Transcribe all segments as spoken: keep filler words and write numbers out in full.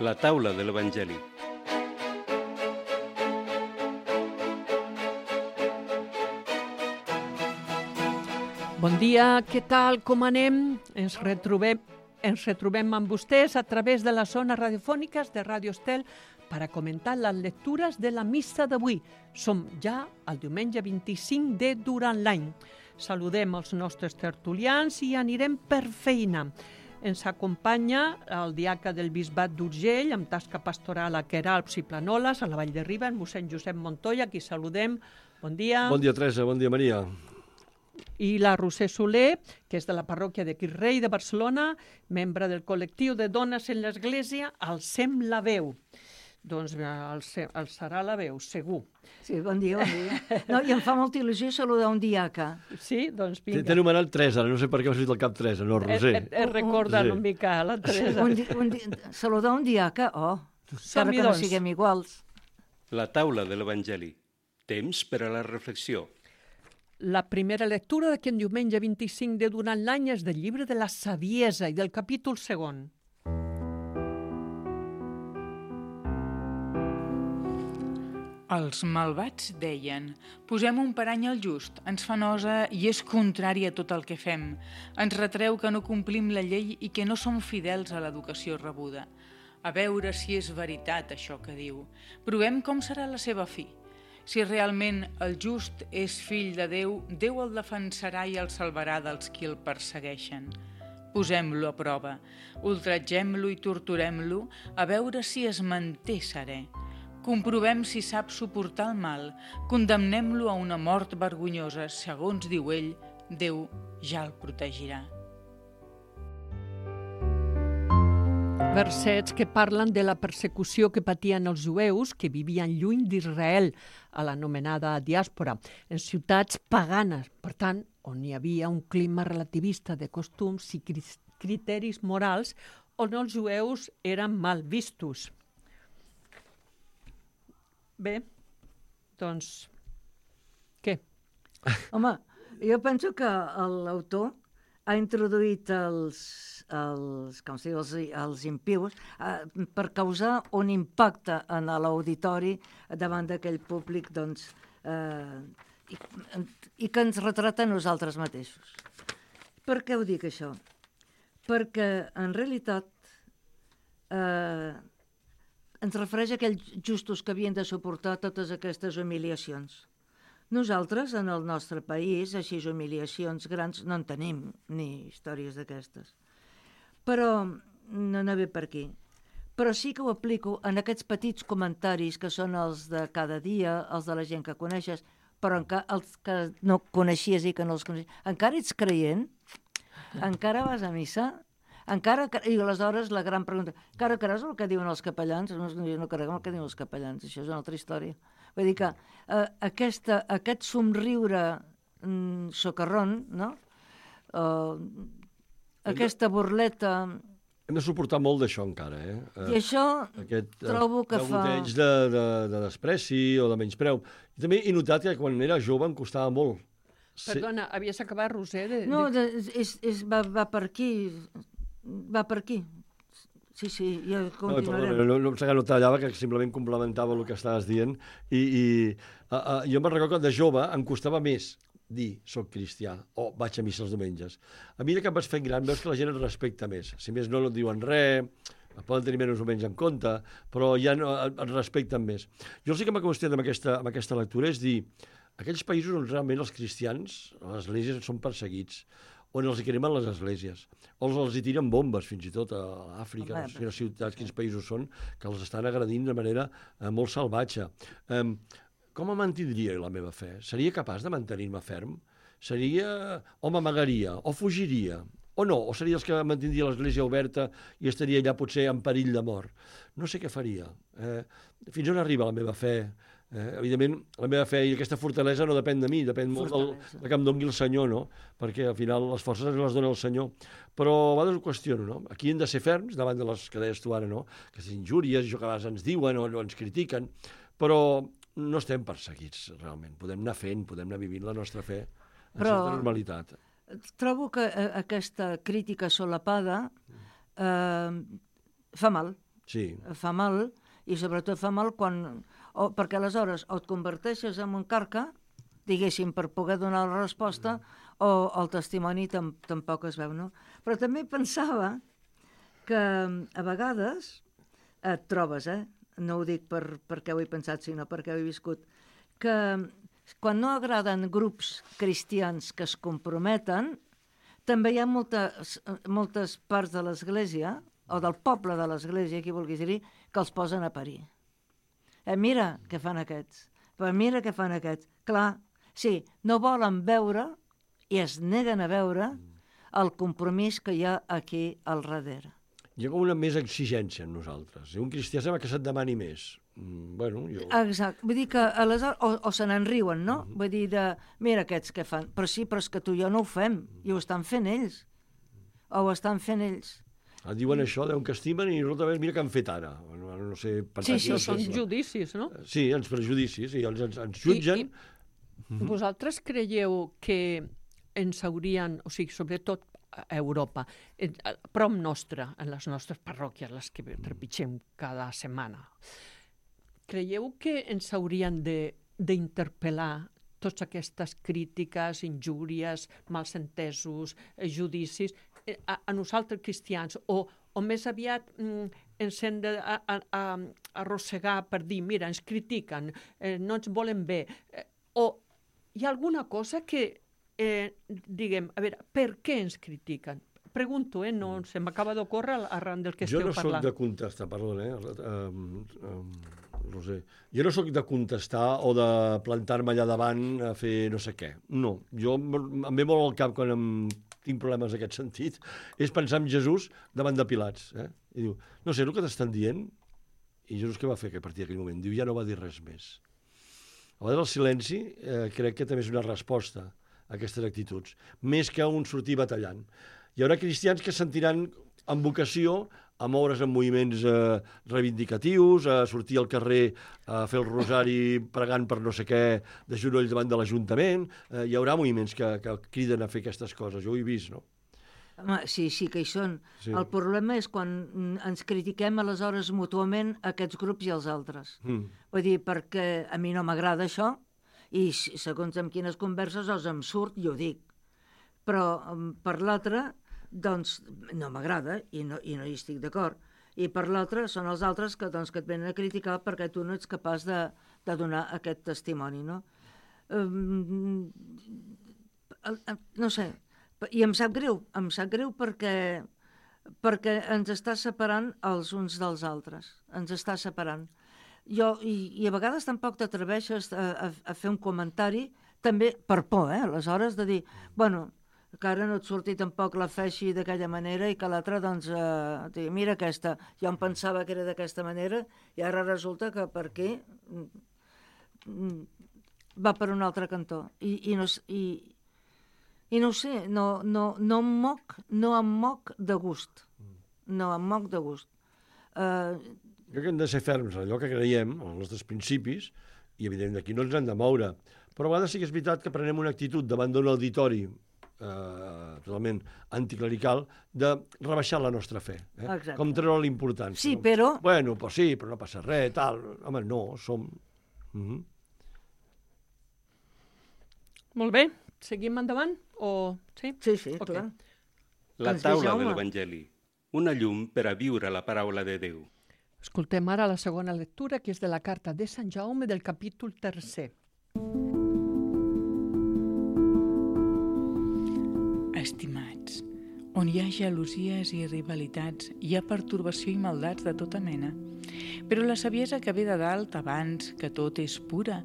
La taula de l'Evangeli. Bon dia, què tal, com anem? Ens retrobem, ens retrobem amb vostès a través de les zones radiofòniques de Ràdio Estel per a comentar les lectures de la missa d'avui. Som ja el diumenge vint-i-cinc de durant l'any. Saludem els nostres tertulians i anirem per feina. Ens acompanya el diaca del Bisbat d'Urgell, amb tasca pastoral a Queralbs i Planoles, a la Vall de Riba, en mossèn Josep Montoya, a qui saludem. Bon dia. Bon dia, Teresa. Bon dia, Maria. I la Roser Soler, que és de la parròquia de Quirrell de Barcelona, membre del col·lectiu de dones en l'Església, alcem la veu. Doncs alçarà la veu, segur. Sí, bon dia, bon dia. No, i em fa molta il·lusió saludar un diaca. Sí, doncs vinga. T'he anomenat Teresa, no sé per què m'ha sortit el cap Teresa, no, Roser. He, he recordat una mica la Teresa. Un, di, un di, saludar un diaca, oh, encara que no siguem iguals. La taula de l'Evangeli. Temps per a la reflexió. La primera lectura d'aquest diumenge vint-i-cinc de durant l'any és del llibre de la Saviesa i del capítol segon. Els malvats deien: posem un parany al just, ens fa nosa i és contrari a tot el que fem. Ens retreu que no complim la llei i que no som fidels a l'educació rebuda. A veure si és veritat això que diu. Provem com serà la seva fi. Si realment el just és fill de Déu, Déu el defensarà i el salvarà dels qui el persegueixen. Posem-lo a prova, ultratgem-lo i torturem-lo, a veure si es manté serè. Comprovem si sap suportar el mal, condemnem-lo a una mort vergonyosa, segons diu ell, Déu ja el protegirà. Versets que parlen de la persecució que patien els jueus que vivien lluny d'Israel, a l'anomenada diàspora, en ciutats paganes, per tant, on hi havia un clima relativista de costums i criteris morals on els jueus eren mal vistos. Bé, doncs, què? Home, jo penso que l'autor ha introduït els, els, com si, els, els impius eh, per causar un impacte en l'auditori davant d'aquell públic doncs, eh, i, i que ens retrata a nosaltres mateixos. Per què ho dic això? Perquè en realitat eh, ens refereix a aquells justos que havien de suportar totes aquestes humiliacions. Nosaltres, en el nostre país, així humiliacions grans, no en tenim, ni històries d'aquestes. Però no, no ve per aquí. Però sí que ho aplico en aquests petits comentaris que són els de cada dia, els de la gent que coneixes, però encara els que no coneixies i que no els coneixies. Encara ets creient? Encara vas a missa? Encara, i aleshores la gran pregunta, encara creus el que diuen els capellans? No, no creiem el que diuen els capellans, això és una altra història. Vull dir que eh, aquesta, aquest somriure mm, socarrón, no? Uh, aquesta burleta... Hem de suportar molt d'això encara, eh? I això Aquest, trobo que fa... Aquest de, de, de despreci o de menyspreu. I també he notat que quan era jove em costava molt. Perdona, sí. Havies acabat, Roser? De, no, de... de, és, és, va, va per aquí, va per aquí. Sí, sí, ja continuarem. No, no, no, no, no tallava, que simplement complementava el que estaves dient. I, i uh, uh, jo me'n recordo que de jove em costava més dir soc cristià o vaig a missa els diumenges. A mesura que em vaig fent gran veus que la gent et respecta més. Si més no, no et diuen res, et poden tenir menys o menys en compte, però ja no, et respecten més. Jo sí que m'ha qüestionat amb aquesta, amb aquesta lectura és dir, aquells països on realment els cristians, les esglésies són perseguits, on els hi cremen les esglésies, o els hi tiren bombes, fins i tot a Àfrica, no sé quines ciutats, quins països són, que els estan agredint de manera eh, molt salvatge. Eh, com em mantindria la meva fe? Seria capaç de mantenir-me ferm? Seria... o m'amagaria? O fugiria? O no? O seria els que mantindria l'església oberta i estaria allà potser en perill de mort? No sé què faria. Eh, fins on arriba la meva fe? Eh, evidentment, la meva fe i aquesta fortalesa no depèn de mi, depèn molt del, del que em doni el Senyor, no? Perquè al final les forces les dona el Senyor. Però a vegades ho qüestiono, no? Aquí hem de ser ferms davant de les que deies tu ara, no? Aquestes injúries, això que a vegades ens diuen o, o ens critiquen, però no estem perseguits, realment. Podem anar fent, podem anar vivint la nostra fe en però certa normalitat. Trobo que eh, aquesta crítica solapada eh, fa mal. Sí. Fa mal, i sobretot fa mal quan... O, perquè aleshores o et converteixes en un carca, diguéssim, per poder donar la resposta, o el testimoni tam tampoc es veu, no? Però també pensava que a vegades et trobes, eh? No ho dic per, perquè ho he pensat, sinó perquè ho he viscut, que quan no agraden grups cristians que es comprometen, també hi ha moltes, moltes parts de l'Església, o del poble de l'Església, qui vulguis dir, que els posen a parir. Eh, mira què fan aquests, però mira què fan aquests. Clar, sí, no volen veure i es neguen a veure el compromís que hi ha aquí al darrere. Hi ha com una més exigència en nosaltres. Un cristià sembla que se't demani més. Mm, bueno, jo... Exacte. Vull dir que aleshores... O, o se n'en riuen, no? Uh -huh. Vull dir de... Mira aquests que fan. Però sí, però és que tu i jo no ho fem. I ho estan fent ells. O ho estan fent ells. Ah, diuen això, deuen que estimen i nosaltres mira què han fet ara. No, no sé... Sí, sí, són judicis, no? Sí, ens prejudicis, i ens, ens jutgen... I, i vosaltres creieu que ens haurien, o sigui, sobretot a Europa, a prop nostra, en les nostres parròquies, les que trepitgem cada setmana, creieu que ens haurien d'interpel·lar totes aquestes crítiques, injúries, malsentesos, judicis, a, a nosaltres cristians, o, o més aviat mm, ens hem d'arrossegar per dir, mira, ens critiquen, eh, no ens volen bé, eh, o hi ha alguna cosa que, eh, diguem, a veure, per què ens critiquen? Pregunto, eh, no se m'acaba d'ocórrer arran del que jo esteu no parlant. Jo no soc de contestar, perdona, eh, um, um, Roser, jo no soc de contestar o de plantar-me allà davant a fer no sé què. No, jo em ve molt al cap quan em tinc problemes en aquest sentit, és pensar en Jesús davant de Pilats. Eh? I diu, no sé el que t'estan dient, i Jesús què va fer a partir d'aquell moment? Diu, ja no va dir res més. A vegades el silenci eh, crec que també és una resposta a aquestes actituds, més que un sortir batallant. Hi haurà cristians que sentiran amb vocació a moure's en moviments eh, reivindicatius, a sortir al carrer a fer el rosari pregant per no sé què de genoll davant de l'Ajuntament. Eh, hi haurà moviments que, que criden a fer aquestes coses, jo ho he vist, no? Home, sí, sí que hi són. Sí. El problema és quan ens critiquem aleshores mútuament aquests grups i els altres. Mm. Vull dir, perquè a mi no m'agrada això, i segons amb quines converses els em surt, jo ho dic. Però per l'altre, doncs no m'agrada i no, i no hi estic d'acord. I per l'altre són els altres que, doncs, que et venen a criticar perquè tu no ets capaç de, de donar aquest testimoni, no? Um, no sé, i em sap greu, em sap greu perquè, perquè ens està separant els uns dels altres, ens està separant. Jo, i, i a vegades tampoc t'atreveixes a, a, a fer un comentari, també per por, eh, aleshores, de dir, bueno, que ara no et surti tampoc la fe així d'aquella manera i que l'altre, doncs, eh, dir, mira aquesta, jo em pensava que era d'aquesta manera i ara resulta que per aquí va per un altre cantó. I, i, no, i, i no ho sé, no, no, no, em moc, no em moc de gust. No em moc de gust. Uh, Crec que hem de ser ferms en allò que creiem, els nostres principis, i evidentment aquí no ens hem de moure. Però a vegades sí que és veritat que prenem una actitud davant d'un auditori eh, totalment anticlerical de rebaixar la nostra fe. Eh? Com treure l'importància. Sí, però... Bueno, pues sí, però no passa res, tal. Home, no, som... Uh -huh. Molt bé. Seguim endavant? O... Sí, sí, sí okay. Clar. La taula de l'Evangeli. Una llum per a viure la paraula de Déu. Escoltem ara la segona lectura, que és de la carta de Sant Jaume del capítol tercer. Estimats, on hi ha gelosies i rivalitats, hi ha pertorbació i maldats de tota mena. Però la saviesa que ve de dalt, abans que tot és pura,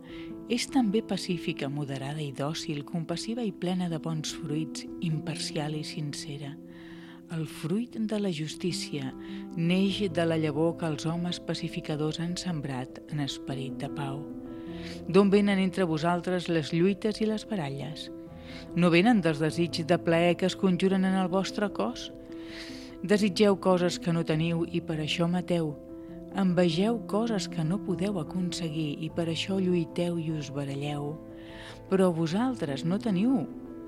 és també pacífica, moderada i dòcil, compassiva i plena de bons fruits, imparcial i sincera. El fruit de la justícia neix de la llavor que els homes pacificadors han sembrat en esperit de pau. D'on venen entre vosaltres les lluites i les baralles? No venen dels desigs de plaer que es conjuren en el vostre cos? Desitgeu coses que no teniu i per això mateu. Envegeu coses que no podeu aconseguir i per això lluiteu i us baralleu. Però vosaltres no teniu,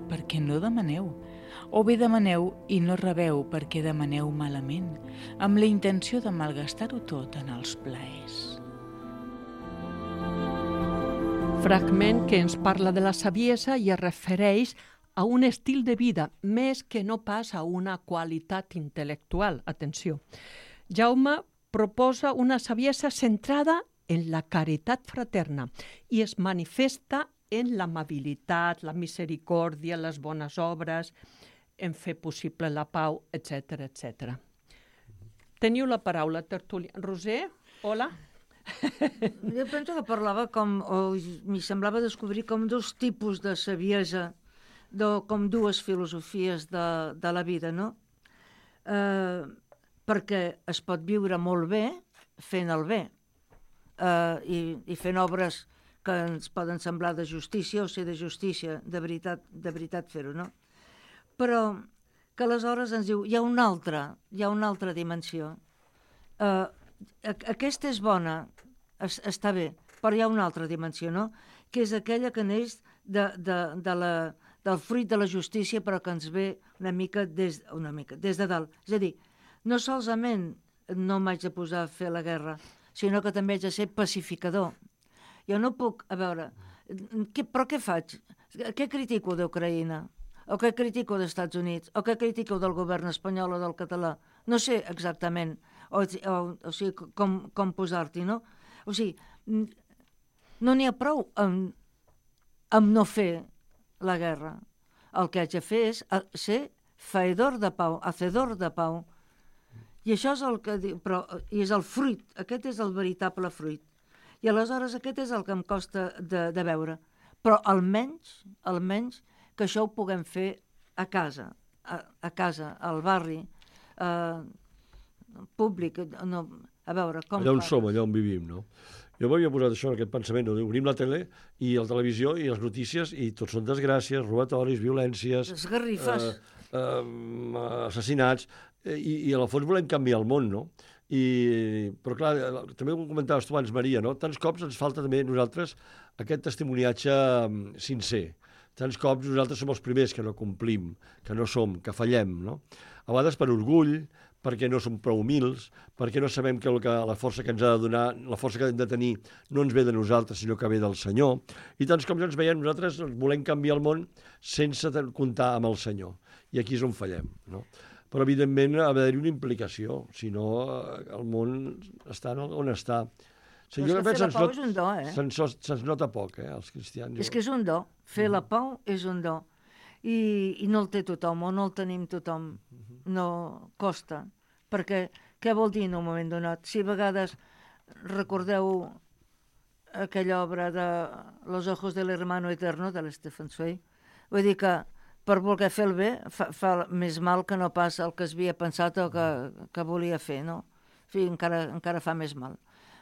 perquè no demaneu. o bé demaneu i no rebeu perquè demaneu malament, amb la intenció de malgastar-ho tot en els plaers. Fragment que ens parla de la saviesa i es refereix a un estil de vida, més que no pas a una qualitat intel·lectual. Atenció. Jaume proposa una saviesa centrada en la caritat fraterna i es manifesta en l'amabilitat, la misericòrdia, les bones obres, en fer possible la pau, etcètera, etcètera. Teniu la paraula, tertúlia. Roser, hola. Jo penso que parlava com, o m'hi semblava descobrir com dos tipus de saviesa, de, com dues filosofies de, de la vida, no? Eh, perquè es pot viure molt bé fent el bé eh, i, i fent obres que ens poden semblar de justícia o ser de justícia, de veritat, de veritat fer-ho, no? Però que aleshores ens diu, hi ha una altra, hi ha una altra dimensió. Eh, aquesta és bona, es, està bé, però hi ha una altra dimensió, no? Que és aquella que neix de, de, de la, del fruit de la justícia, però que ens ve una mica des, una mica, des de dalt. És a dir, no solament no m'haig de posar a fer la guerra, sinó que també haig de ser pacificador. Jo no puc, a veure, què, però què faig? Què critico d'Ucraïna? O què critico dels Estats Units? O què critico del govern espanyol o del català? No sé exactament, o, o, o sigui, com, com posar-t'hi, no? O sigui, no n'hi ha prou amb, amb no fer la guerra. El que haig de fer és ser faedor de pau, hacedor de pau. I això és el que diu, però i és el fruit, aquest és el veritable fruit. I aleshores aquest és el que em costa de, de veure. Però almenys, almenys, que això ho puguem fer a casa, a, a casa, al barri, eh, públic, no, a veure com... Allà on som, allà on vivim, no? Jo m'havia posat això, aquest pensament, no? Obrim la tele i la televisió i les notícies i tot són desgràcies, robatoris, violències... Esgarrifes. Eh, eh, assassinats, i, i a la fons volem canviar el món, no? I, però clar, també ho comentaves tu abans, Maria, no? Tants cops ens falta també a nosaltres aquest testimoniatge sincer. Tants cops nosaltres som els primers que no complim, que no som, que fallem, no? A vegades per orgull, perquè no som prou humils, perquè no sabem que, el que la força que ens ha de donar, la força que hem de tenir, no ens ve de nosaltres, sinó que ve del Senyor. I tants cops ens veiem, nosaltres volem canviar el món sense comptar amb el Senyor. I aquí és on fallem, no? Però, evidentment, ha d'haver-hi una implicació, si no el món està on està. Sí, però és que fer la pau és un do, eh? Se'ns se nota poc, eh, els cristians. És que és un do. Fer la pau és un do. I, i no el té tothom, o no el tenim tothom. No costa. Perquè què vol dir en un moment donat? Si a vegades recordeu aquella obra de Los ojos del hermano eterno, de l'Stefan Zweig, vull dir que per voler fer el bé fa, fa més mal que no pas el que es havia pensat o que, que volia fer, no? En fi, encara, encara fa més mal.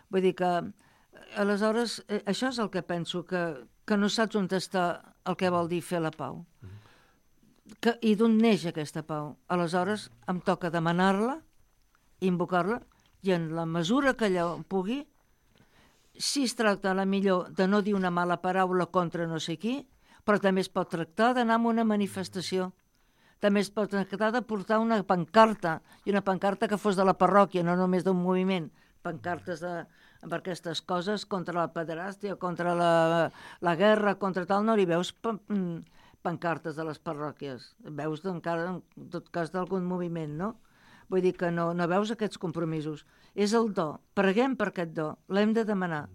Vull dir que, aleshores, eh, això és el que penso, que, que no saps on està el que vol dir fer la pau. Que, I d'on neix aquesta pau? Aleshores, em toca demanar-la, invocar-la, i en la mesura que allò pugui, si es tracta a la millor de no dir una mala paraula contra no sé qui, però també es pot tractar d'anar a una manifestació. També es pot tractar de portar una pancarta, i una pancarta que fos de la parròquia, no només d'un moviment, pancartes de, per aquestes coses, contra la pederàstia, contra la, la guerra, contra tal, no hi veus pan, pancartes de les parròquies. Veus encara, en tot cas, d'algun moviment, no? Vull dir que no, no veus aquests compromisos. És el do. Preguem per aquest do. L'hem de demanar.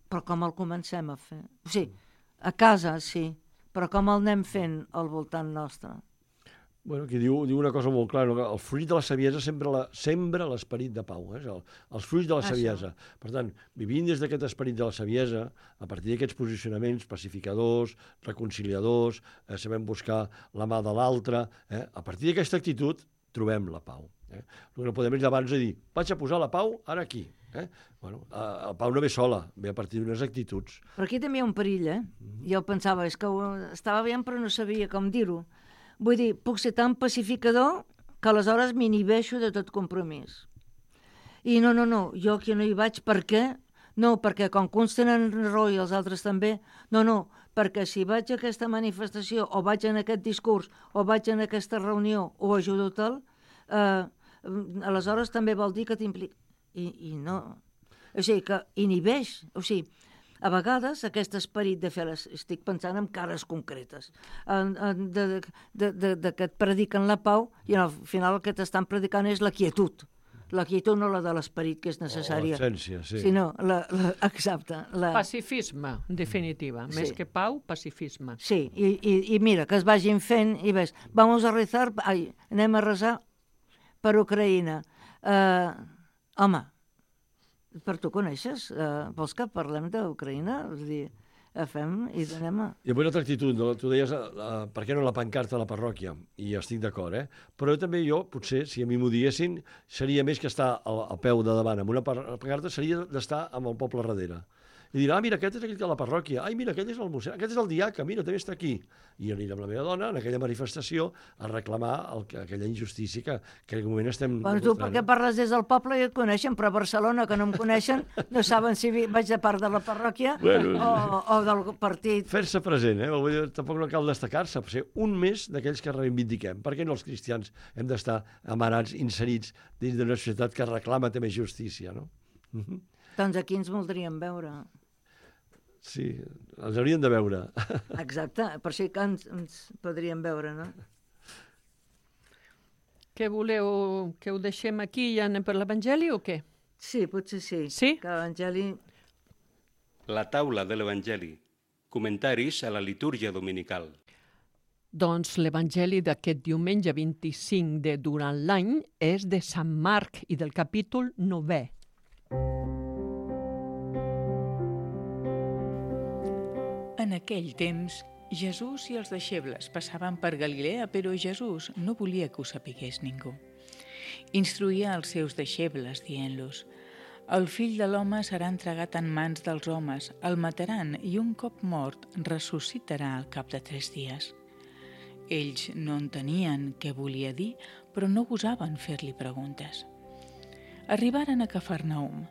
Però com el comencem a fer? O sigui, a casa, sí, però com el anem fent al voltant nostre? Bueno, aquí diu, diu una cosa molt clara, no? El fruit de la saviesa sembra la, sembra l'esperit de pau, eh? El, els fruits de la saviesa. Això. Per tant, vivint des d'aquest esperit de la saviesa, a partir d'aquests posicionaments pacificadors, reconciliadors, eh, sabem buscar la mà de l'altre, eh? A partir d'aquesta actitud trobem la pau. Eh? El que no podem és abans de dir, vaig a posar la pau ara aquí. Eh? Bueno, la pau no ve sola, ve a partir d'unes actituds. Però aquí també hi ha un perill, eh? Mm-hmm. Jo pensava, és que estava bé, però no sabia com dir-ho. Vull dir, puc ser tan pacificador que aleshores m'inhibeixo de tot compromís. I no, no, no, jo aquí no hi vaig, per què? No, perquè com que uns tenen raó i els altres també, no, no, perquè si vaig a aquesta manifestació o vaig en aquest discurs o vaig en aquesta reunió o ajudo tal, eh, aleshores també vol dir que t'implica. I, I no... O sigui, que inhibeix. O sigui, a vegades aquest esperit de fer les... Estic pensant en cares concretes, en, en, de, de, de, de que et prediquen la pau i al final el que t'estan predicant és la quietud. La quietud no la de l'esperit, que és necessària. O l'absència, sí. Sinó, la, la, exacte. La... Pacifisme, en definitiva. Sí. Més que pau, pacifisme. Sí, i, i, i mira, que es vagin fent i ves, vamos a rezar, ai, anem a rezar per Ucraïna. Uh, home, per tu coneixes? Uh, vols que parlem d'Ucraïna? És a dir, fem i anem a... I avui una altra actitud, no? Tu deies, uh, per què no la pancarta a la parròquia? I estic d'acord, eh? Però també jo, potser, si a mi m'ho diguessin, seria més que estar al, al peu de davant amb una pancarta, seria d'estar amb el poble darrere. I dir, ah, mira, aquest és aquell de la parròquia, ai, mira, aquest és el museu, aquest és el diaca, mira, també està aquí. I aniré amb la meva dona en aquella manifestació a reclamar el, aquella injustícia que, que en aquell moment estem... Bueno, tu per què parles des del poble i et coneixen, però a Barcelona, que no em coneixen, no saben si vaig de part de la parròquia bueno, o, o del partit. Fer-se present, eh? Vull dir, tampoc no cal destacar-se, per ser un més d'aquells que reivindiquem. Per què no els cristians hem d'estar amarats, inserits dins d'una societat que reclama també justícia, no? Uh-huh. Doncs aquí ens voldríem veure. Sí, ens haurien de veure. Exacte, per això que ens, ens podríem veure, no? Què voleu? Que ho deixem aquí i anem per l'Evangeli o què? Sí, potser sí. Sí? Que l'Evangeli... La taula de l'Evangeli. Comentaris a la litúrgia dominical. Doncs l'Evangeli d'aquest diumenge vint-i-cinc de durant l'any és de Sant Marc i del capítol novè. En aquell temps, Jesús i els deixebles passaven per Galilea, però Jesús no volia que ho sapigués ningú. Instruïa els seus deixebles, dient-los: el fill de l'home serà entregat en mans dels homes, el mataran i un cop mort ressuscitarà al cap de tres dies. Ells no entenien què volia dir, però no gosaven fer-li preguntes. Arribaren a Cafarnaum.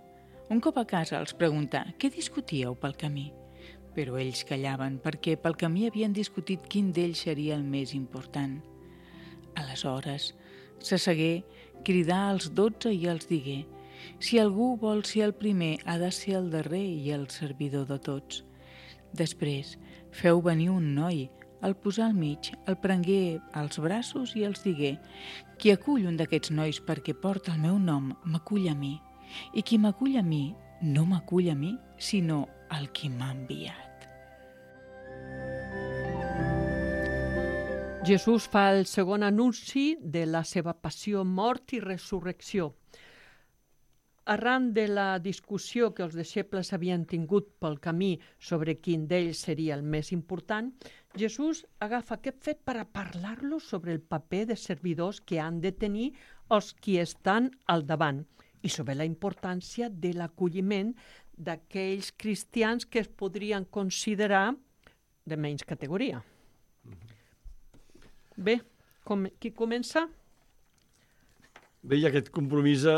Un cop a casa els preguntà què discutíeu pel camí. Però ells callaven perquè pel camí havien discutit quin d'ells seria el més important. Aleshores, s'assegué, cridà als dotze i els digué: si algú vol ser el primer, ha de ser el darrer i el servidor de tots. Després, feu venir un noi, el posà al mig, el prengué als braços i els digué: qui acull un d'aquests nois perquè porta el meu nom, m'acull a mi. I qui m'acull a mi, no m'acull a mi, sinó el qui m'ha enviat. Jesús fa el segon anunci de la seva passió, mort i resurrecció. Arran de la discussió que els deixebles havien tingut pel camí sobre quin d'ells seria el més important, Jesús agafa aquest fet per a parlar-los sobre el paper de servidors que han de tenir els qui estan al davant i sobre la importància de l'acolliment d'aquells cristians que es podrien considerar de menys categoria. Bé, com, qui comença? Bé, i aquest compromís eh,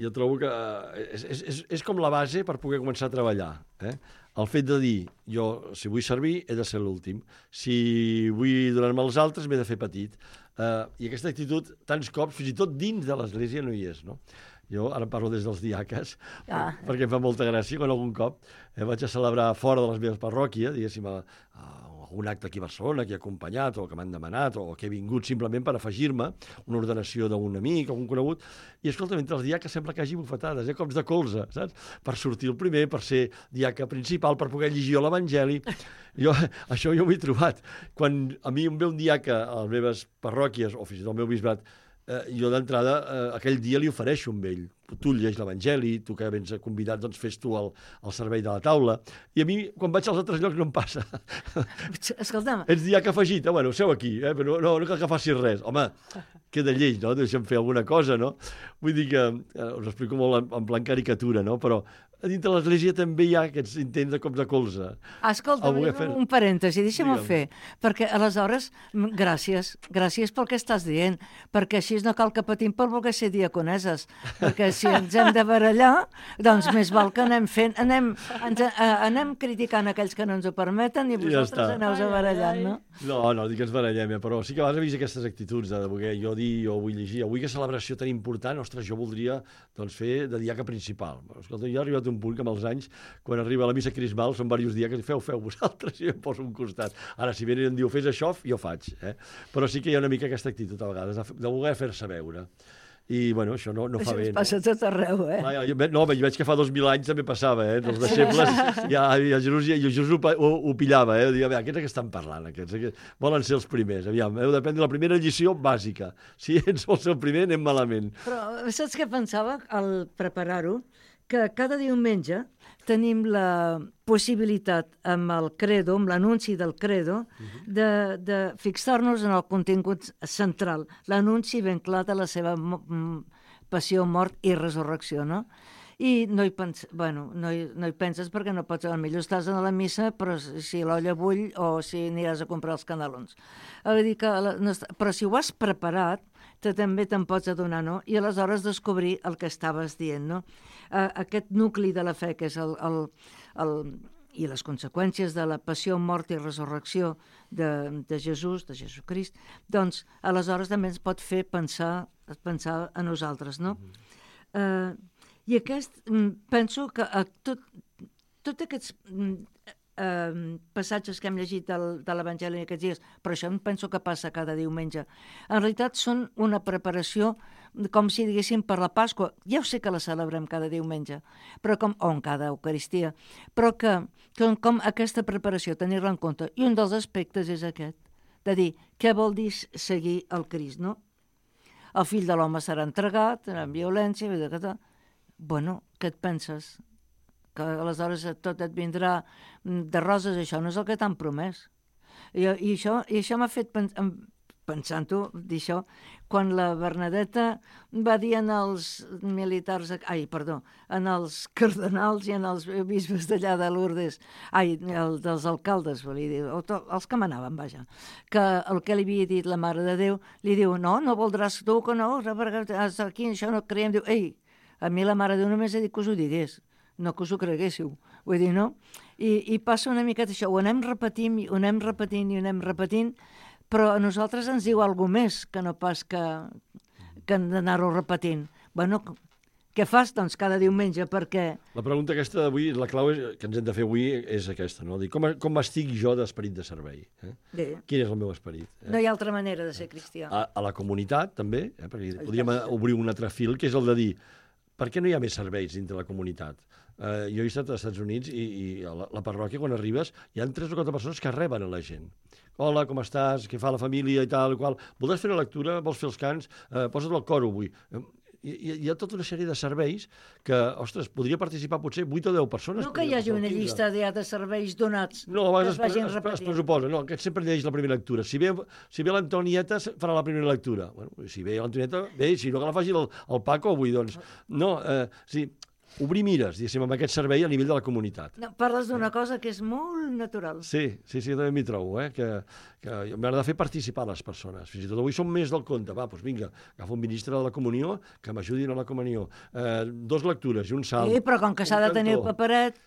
jo trobo que eh, és, és, és com la base per poder començar a treballar. Eh? El fet de dir, jo, si vull servir, he de ser l'últim. Si vull donar-me als altres, m'he de fer petit. Eh, I aquesta actitud, tants cops, fins i tot dins de l'Església no hi és, no? Jo ara parlo des dels diaques, ah. perquè em fa molta gràcia quan algun cop eh, vaig a celebrar fora de les meves parròquies, diguéssim, a, a algun acte aquí a Barcelona que he acompanyat o que m'han demanat o que he vingut simplement per afegir-me una ordenació d'un amic o un conegut, i escolta, mentre els diaques sembla que hagi bufetades, eh, cops de colze, saps? Per sortir el primer, per ser diaca principal, per poder llegir l'Evangeli. Jo, això jo ho he trobat. Quan a mi em ve un diaca a les meves parròquies o fins i tot al meu bisbat, eh, jo d'entrada eh, aquell dia li ofereixo amb ell. Tu llegeix l'Evangeli, tu que vens convidat, doncs fes tu el, el servei de la taula. I a mi, quan vaig als altres llocs, no em passa. Escolta'm. Ets diaca afegit, eh? Bueno, seu aquí, eh? Però no, no cal que facis res. Home, queda lleig, no? Deixa'm fer alguna cosa, no? Vull dir que, eh, us explico molt en, en plan caricatura, no? Però a dintre de l'Església també hi ha aquests intents de cop de colze. Escolta, fer... un parèntesi, deixa'm-ho Digue'm. fer, perquè aleshores, m- gràcies, gràcies pel que estàs dient, perquè així no cal que patim per voler ser diaconeses, perquè si ens hem de barallar, doncs més val que anem fent, anem, ens, a, anem criticant aquells que no ens ho permeten i Ja vosaltres està. aneu a barallant, no? No, no, dic que ens barallem, eh, però sí que a vegades he vist aquestes actituds de voler jo dir, jo vull llegir, avui que celebració tan important, ostres, jo voldria doncs, fer de diaca principal. Escolta, jo he arribat a un punt que amb els anys, quan arriba la missa crismal, són diversos dies que feu, feu vosaltres, i jo em poso a un costat. Ara, si venen i em diu, fes això, jo faig. Eh? Però sí que hi ha una mica aquesta actitud, a vegades, de, de voler fer-se veure. I, bueno, això no, no fa Això bé. ens passa a tot arreu, eh? No? Jo, no, jo veig que fa dos mil anys també passava, eh? Els deixebles, ja, ja Jesús, ja, Jesús ho, ho, ho pillava, eh? Diu, a veure, aquests que estan parlant, aquests, aquests volen ser els primers. Aviam, heu de prendre la primera lliçó bàsica. Si ets vol ser el primer, anem malament. Però saps què pensava al preparar-ho? Que cada diumenge tenim la possibilitat amb el credo, amb l'anunci del credo, de, de fixar-nos en el contingut central, l'anunci ben clar de la seva mo- m- passió, mort i resurrecció, no? I no hi, pens bueno, no, hi, no hi penses perquè no pots, potser estàs a la missa, però si l'olla bull o si aniràs a comprar els canelons. Vull dir que la, no està, però si ho has preparat, te també te'n pots adonar, no? I aleshores descobrir el que estaves dient, no? Uh, aquest nucli de la fe, que és el, el, el, i les conseqüències de la passió, mort i resurrecció de, de Jesús, de Jesucrist, doncs aleshores també ens pot fer pensar, pensar a nosaltres, no? Uh, I aquest, mm, penso que a tot, tot aquests mm, eh, passatges que hem llegit del, de l'Evangeli aquests dies, però això em penso que passa cada diumenge, en realitat són una preparació com si diguéssim per la Pasqua. Ja ho sé que la celebrem cada diumenge, però com, o en cada Eucaristia, però que, que com aquesta preparació, tenir-la en compte. I un dels aspectes és aquest, de dir, què vol dir seguir el Crist, no? El fill de l'home serà entregat, en violència, vull dir que tal. Bueno, què et penses? Que aleshores tot et vindrà de roses, això no és el que t'han promès. I, i això, i això m'ha fet pens pensant-ho, dir això, quan la Bernadeta va dir en els militars, ai, perdó, en els cardenals i en els bisbes d'allà de Lourdes, ai, el, dels alcaldes, volia dir, o to, els que manaven, vaja, que el que li havia dit la Mare de Déu, li diu, no, no voldràs tu que no, perquè aquí això no creiem, diu, ei, a mi la Mare de Déu només ha dit que us ho digués, no que us ho creguéssiu, vull dir, no? I, i passa una miqueta això, ho anem repetint, ho anem repetint i ho anem repetint, però a nosaltres ens diu alguna més que no pas que, que hem d'anar-ho repetint. Bueno, què fas, doncs, cada diumenge? Perquè... La pregunta aquesta d'avui, la clau és, que ens hem de fer avui és aquesta, no? Dir, com, com estic jo d'esperit de servei? Eh? Bé. Quin és el meu esperit? Eh? No hi ha altra manera de ser cristià. A, a la comunitat, també, eh? Perquè podríem obrir un altre fil, que és el de dir, per què no hi ha més serveis dintre la comunitat? Uh, jo he estat als Estats Units i, i a la, la parròquia, quan arribes, hi ha tres o quatre persones que reben a la gent. Hola, com estàs? Què fa la família i tal, qual. Voldràs fer la lectura? Vols fer els cants? Uh, posa't al coro avui. Uh, hi, hi ha tota una sèrie de serveis que, ostres, podria participar potser vuit o deu persones. No que hi hagi una llista ja de serveis donats no, a que vegades es vagin es, es, es repetint. pressuposa, no, que sempre llegeix la primera lectura. Si ve, si ve l'Antonieta, farà la primera lectura. Bueno, si ve l'Antonieta, bé, si no que la faci el, el Paco avui, doncs. No, eh, sí, obrir mires, diguéssim, amb aquest servei a nivell de la comunitat. No, parles d'una cosa que és molt natural. Sí, sí, sí, també m'hi trobo, eh? que, que m'agrada fer participar les persones. Fins i tot avui som més del compte. Va, doncs vinga, agafo un ministre de la comunió que m'ajudin a la comunió. Eh, dos lectures i un salt. Sí, però com que s'ha de tenir el paperet...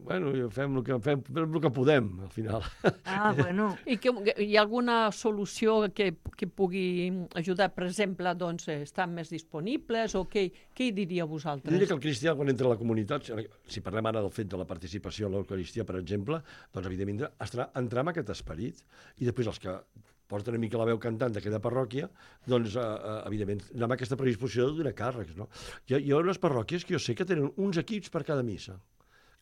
Bueno, fem el que, fem, fem el que podem, al final. Ah, bueno. I que hi ha alguna solució que, que pugui ajudar, per exemple, doncs, estan més disponibles o què, què hi diria vosaltres? Jo diria que el cristià, quan entra a la comunitat, si parlem ara del fet de la participació a l'Eucaristia, per exemple, doncs, evidentment, estarà entrar en aquest esperit. I després els que porten una mica la veu cantant d'aquella parròquia, doncs, eh, evidentment, anar amb aquesta predisposició de donar càrrecs, no? Hi ha, hi ha unes parròquies que jo sé que tenen uns equips per cada missa.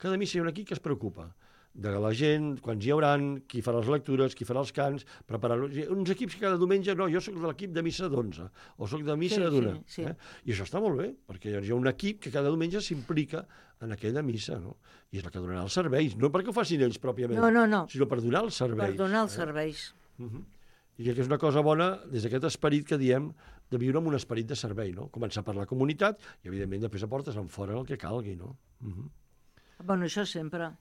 Cada missa hi ha un equip que es preocupa de la gent, quants hi hauran, qui farà les lectures, qui farà els cants, preparar-los. Uns equips que cada diumenge, no, jo sóc de l'equip de missa d'onze, o sóc de missa Sí, de d'una. sí, sí. Eh? I això està molt bé, perquè hi ha un equip que cada diumenge s'implica en aquella missa, no? I és la que donarà els serveis, no perquè ho facin ells pròpiament, No, no, no. sinó per donar els serveis. Per donar els serveis. Uh -huh. I crec que és una cosa bona des d'aquest esperit que diem de viure amb un esperit de servei, no? Començar per la comunitat i, evidentment, després aportes en fora el que calgui, no? Uh -huh. Bueno, això sempre.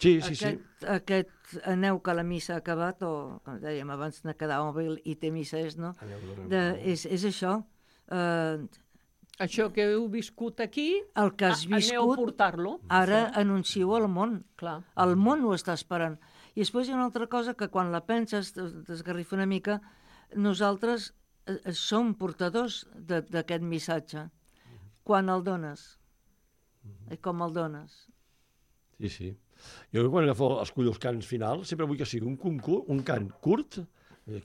Sí, sí, aquest, sí. Aquest aneu que la missa ha acabat, o, com dèiem abans, de quedar mòbil i té missa és, no? De, és, és això. Uh, Això que heu viscut aquí, el que has a, aneu a viscut, portar-lo. ara anuncieu al món. Clar. El món ho està esperant. I després hi ha una altra cosa que quan la penses, t'esgarrifa una mica, nosaltres eh, som portadors d'aquest missatge. Quan el dones? I com el dones? Sí, sí. Jo quan agafo, escullo els cants finals, sempre vull que sigui un, concurs, un cant curt,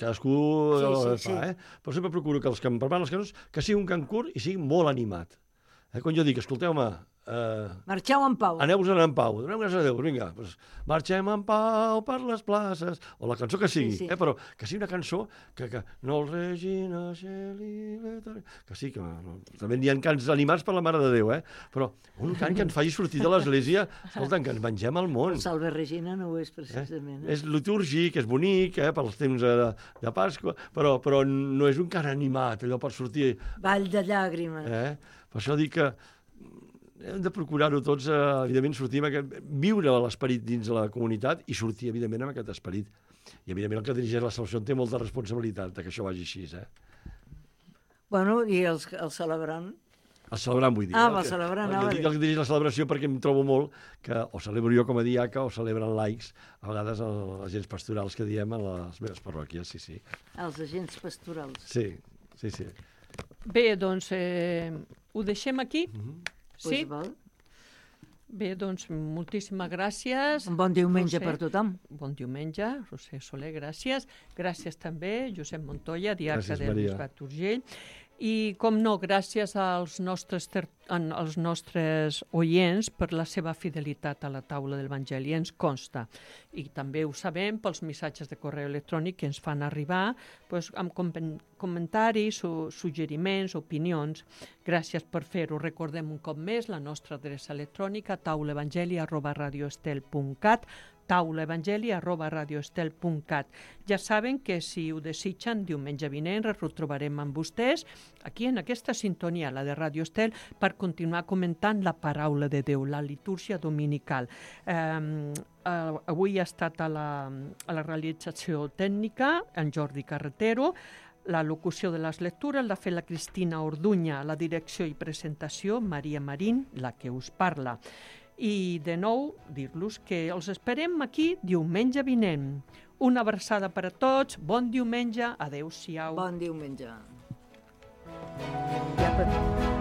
cadascú Sí, sí, sí, sí, fa, sí. eh? Però sempre procuro que els que em preparen les cançons, que sigui un cant curt i sigui molt animat. Eh? Quan jo dic, escolteu-me, eh, Marxeu en pau. aneu-vos en pau, doneu gràcies a Déu, vinga, doncs, marxem en pau per les places, o la cançó que sigui, Sí, sí. Eh? Però que sigui una cançó que, que no el Regina Shelley, que sí, que no, també n'hi ha cants animats per la Mare de Déu, eh? Però un cant que ens faci sortir de l'església, escolta, que ens mengem el món. El Salve Regina no ho és, Eh? precisament. Eh? És litúrgic, és bonic, eh, pels temps de, de Pasqua, però, però no és un cant animat, allò per sortir... Ball de llàgrimes. Eh? Per això dic que hem de procurar-ho tots, eh, evidentment, sortir amb aquest, viure l'esperit dins de la comunitat i sortir, evidentment, amb aquest esperit. I, evidentment, el que dirigeix la salvació té molta responsabilitat de que això vagi així, eh? Bueno, i els, els celebrant? El celebrant, vull dir. Ah, eh? el celebrant, El, anava a que, dir. el que dirigeix la celebració perquè em trobo molt que o celebro jo com a diaca o celebren laics, a vegades els agents pastorals que diem a les meves parròquies, sí, sí. Els agents pastorals. Sí, sí, sí. Bé, doncs eh, ho deixem aquí. Sí? Pues val. Bé, doncs moltíssimes gràcies. Un bon diumenge Roser. per tothom. Bon diumenge, Roser Soler, gràcies. Gràcies també, Josep Montoya, diaca Gràcies, del Maria. Bisbat d'Urgell. I, com no, gràcies als nostres, ter... an- als nostres oients per la seva fidelitat a la taula de l'Evangeli, ens consta. I també ho sabem pels missatges de correu electrònic que ens fan arribar pues, amb com comentaris, o suggeriments, opinions. Gràcies per fer-ho. Recordem un cop més la nostra adreça electrònica taulaevangeli arroba radioestel punt cat, taulaevangeli arroba radioestel punt cat. Ja saben que si ho desitgen, diumenge vinent ens retrobarem amb vostès aquí en aquesta sintonia, la de Radio Estel, per continuar comentant la paraula de Déu, la litúrgia dominical. Eh, eh, avui ha estat a la, a la realització tècnica en Jordi Carretero, la locució de les lectures l'ha fet la Cristina Orduña, la direcció i presentació Maria Marín, la que us parla. I de nou dir-los que els esperem aquí diumenge vinent. Una abraçada per a tots, bon diumenge, adeu-siau. Bon diumenge. Ja per...